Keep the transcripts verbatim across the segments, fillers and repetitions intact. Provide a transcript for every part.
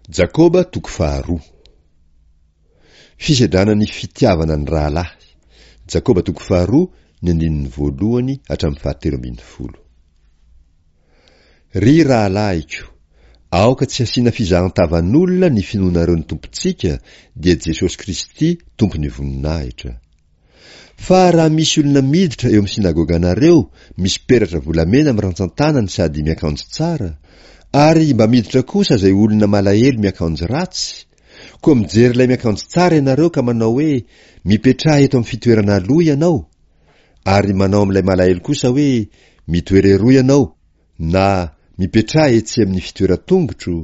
Jakoba toko faharoa. Fisedrana ny fitiavana ny rahalahy. Jakoba toko faharoa, ny andininy voalohany hatramin'ny fahatelo ambin'ny folo. Ry rahalahiko, aoka tsy hasiana fizahan-tavan'olona ny finoanareo ny Tompontsika, dia Jesosy Kristy Tompon'ny voninahitra. Fa raha misy olona miditra eo amin'ny synagoganareo misy peratra volamena amin'ny rantsan-tanany sady miakanjo tsara, ary mba miditra kosa izay olona malahelo miakanjo ratsy, koa mijery ilay miakanjo tsara ianareo ka manao hoe mipetraha eto amin'ny fitoerana aloha ianao, ary manao amin'ilay malahelo kosa hoe mitoera eroa ianao, na mipetraha etsy amin'ny fitoeran-tongotro,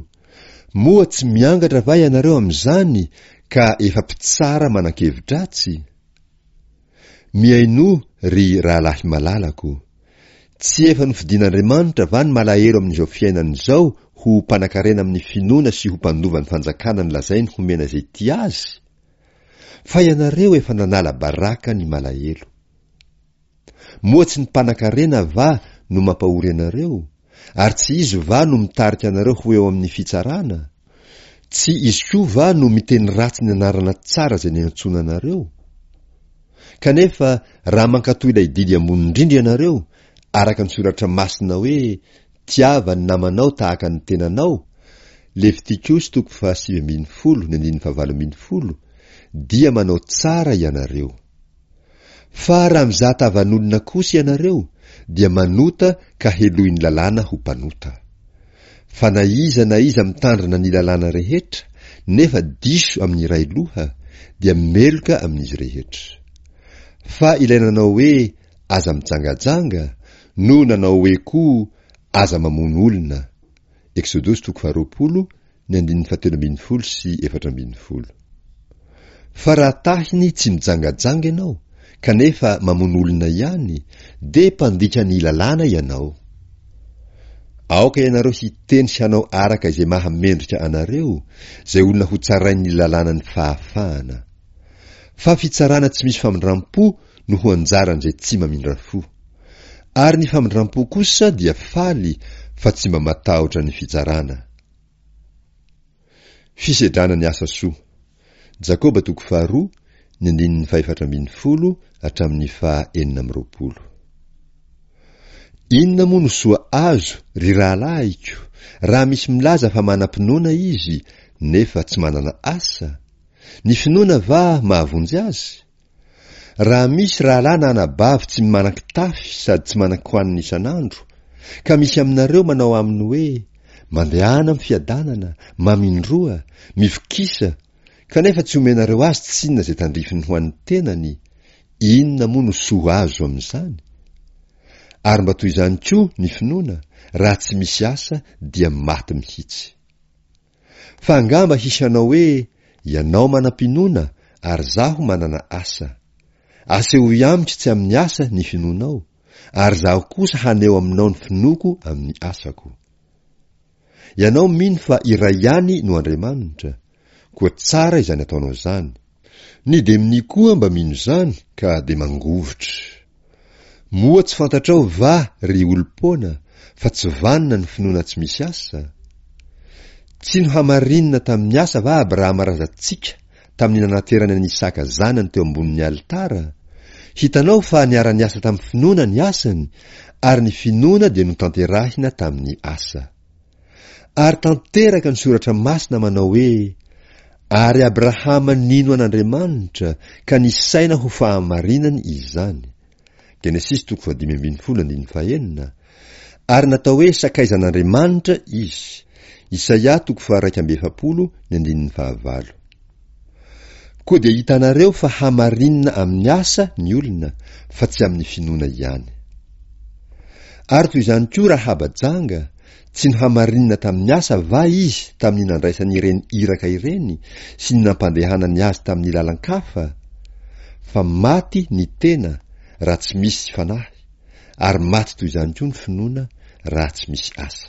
moa tsy miangatra va ianareo amin'izany ka efa mpitsara manan-kevi-dratsy? Mihainoa, ry rahalahy malalako. Tsy efa nofidin'Andriamanitra va ny malahelo amin'izao fiainana izao ho mpanankarena amin'ny finoana sy ho mpandova ny fanjakana nolazainy homena izay tia azy? Fa ianareo efa nanala baraka ny malahelo. Moa tsy ny mpanankarena va no mampahory anareo? Ary tsy izy va no mitarika anareo ho eo amin'ny fitsarana? Tsy izy koa va no miteny ratsy ny anarana tsara izay niantsoana anareo? Kanefa raha mankatò ilay didy ambony indrindra ianareo, araka ny soratra masina hoe tiava ny namanao tahaka ny tenanao, Levitikosy toko fahasivy ambin'ny folo ny andininy fahavalo ambin'ny folo, dia manao tsara ianareo. Fa raha mizaha tavan'olona kosa ianareo, dia manota ka helohin'ny lalàna ho mpanota. Fa na iza na iza mitandrina ny lalàna rehetra, nefa diso amin'ny iray loha, dia meloka amin'izy rehetra. Fa ilay nanao hoe aza mijangajanga, no nanao hoe koa aza mamono olona. Eksodosy toko faharoapolo, ny andininy fahatelo ambin'ny folo sy efatra ambin'ny folo. Fa raha tahiny tsy mijangajanga ianao, kanefa mamono olona ihany, dia mpandika ny lalàna ianao. Aoka ianareo hiteny sy hanao araka izay mahamendrika anareo, izay olona ho tsarain'ny lalànan'ny fahafahana. Fa fitsarana tsy misy famindram-po no ho anjaran'izay tsy mamindra fo. Ary ny famindram-po kosa dia faly fa tsy mba matahotra ny fitsarana. Fisedrana ny asa soa. Jakoba toko faharoa, ny andininy fahefatra ambin'ny folo hatramin'ny faha enina amby roapolo. Inona moa no soa azo, ry rahalahiko, raha misy milaza fa manam-pinoana izy, nefa tsy manana asa? Ny finoana va mahavonjy azy? Raha misy rahalahy na anabavy tsy manan-kitafy sady tsy manan-kohanina isan'andro, ka misy aminareo manao aminy hoe mandehana amin'ny fiadanana, mamindroa, mivokisa, kanefa tsy omenareo azy tsinona izay tandrifiny ho an'ny tenany, inona moa no soa azo amin'izany? Ary mba toy izany koa ny finoana, raha tsy misy asa dia maty mihitsy. Fa angamba hisy hanao hoe ianao manam-pinoana ary zaho manana asa. Asehoy amiko tsy amin'ny asa ny finoanao, ary zaho kosa haneho aminao ny finoako amin'ny asako. Ianao mino fa iray ihany no Andriamanitra, koa tsara izany ataonao izany. Ny demonia koa mba mino izany ka dia mangovitra. Moa tsy fantatrao va, ry olom-poana, fa tsy vanona ny finoana tsy misy asa? Tsy nohamarinina tamin'ny asa va Abrahama razantsika tamin'ny nanaterany an'i Isaka zanany teo ambonin'ny alitara? Hitanao fa niara-niasa tamin'ny finoana ny asany, ary ny finoana dia notanterahina tamin'ny asa. Ary tanteraka ny soratra masina manao hoe ary Abrahama nino an'Andriamanitra ka nisaina ho fahamarinany izany. Genesisy toko fahadimy ambin'ny folo andininy fahenina. Ary natao hoe sakaizan'Andriamanitra izy. Isaia toko faharaika amby efapolo ny andininy fahavalo. Koa dia hitanareo fa hamarinina amin'ny asa ny olona fa tsy amin'ny finoana ihany. Ary toy izany koa Rahaba janga, tsy nohamarinina tamin'ny asa va izy tamin'ny nandraisany ireny iraka ireny sy ny nampandehanany azy tamin'ny lalan-kafa? Fa maty ny tena raha tsy misy fanahy, ary maty toy izany koa ny finoana raha tsy misy asa.